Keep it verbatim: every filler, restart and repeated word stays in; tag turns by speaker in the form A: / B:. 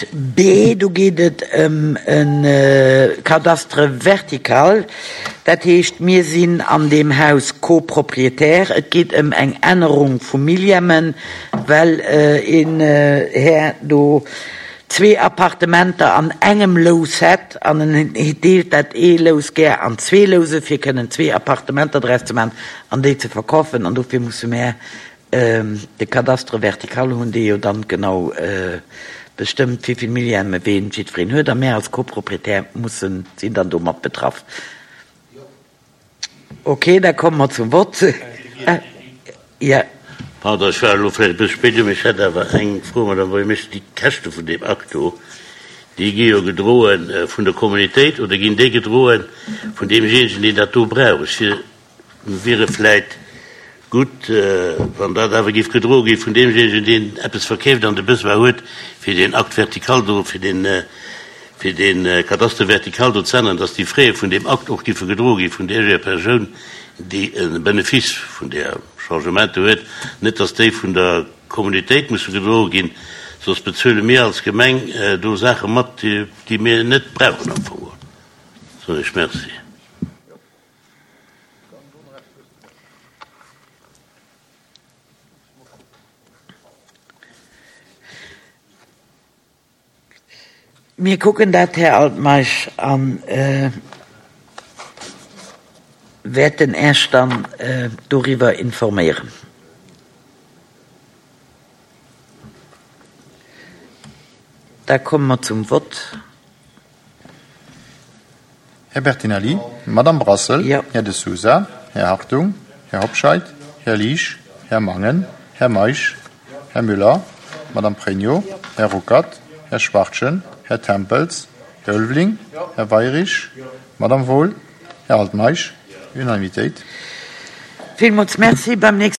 A: Akt B, do geet et ëm e Cadastre vertical. Dat heescht, mir sinn an deem Haus Copropriétaire. Et geet ëm eng Ännerung vu Millièmen, well een Här do zwee Appartementer an engem Lous hätt an en deelt dat ee Lous gär an zwee Louse fir kënnen zwee Appartementer draus ze maachen an déi ze verkafen. An dofir musse mär de Cadastre vertical hunn, dee jo dann genau bestëmmt, wéi vill Millième ween jiddwereen huet. A mär als Copropriétaire mussen, sinn dann domat betraff. Ok, da komme mer zum Vott. Jo.
B: Pardon, ech war elo vläicht e bësse spéit do, mee ech hätt awer eng Fro, Madame Buergermeeschter. Déi Käschte vun deem Akt do, déi gi jo gedroe vun der Communautéit oder ginn déi gedroe vun deemjéinegen, deen dat do brauch? Ech wier, wiere vläicht gutt, wann dat awer géif gedroe gi vun deemjéinegen, deen eppes verkeeft an de Besoin huet, fir deen Acte vertical do, fir deen, fir dee Cadastre vertical do ze änneren, dass déi Frais vun deem Akt och géife gedroe gi vun där Persoun, déi e Benefice vun där Changement do huet, net dass déi vun der Communautéit musse gedroe ginn, soss bezuele mir als Gemeng do Saache mat, déi mir net brauchen am Fong. Soen ech Merci.
A: Mir kucken dat, Här Altmeisch, a wäerten Äech dann doriwwer informéieren. Da komme mer zum Vott.
C: Här Bertinelli, Madame Brassel,
A: Jo.
C: Här De Sousa, Här Hartung, Här Hobscheit, Här Liesch, Här Mangen, Här Meisch, Här Müller, Madame Pregno, Här Ruckert, Här Schwachtgen, Här Tempels, Här Ulveling, Här Weyrich, Madame Wohl, Här Altmeisch. Unanimitéit.
A: Villmools Merci. Beim nächste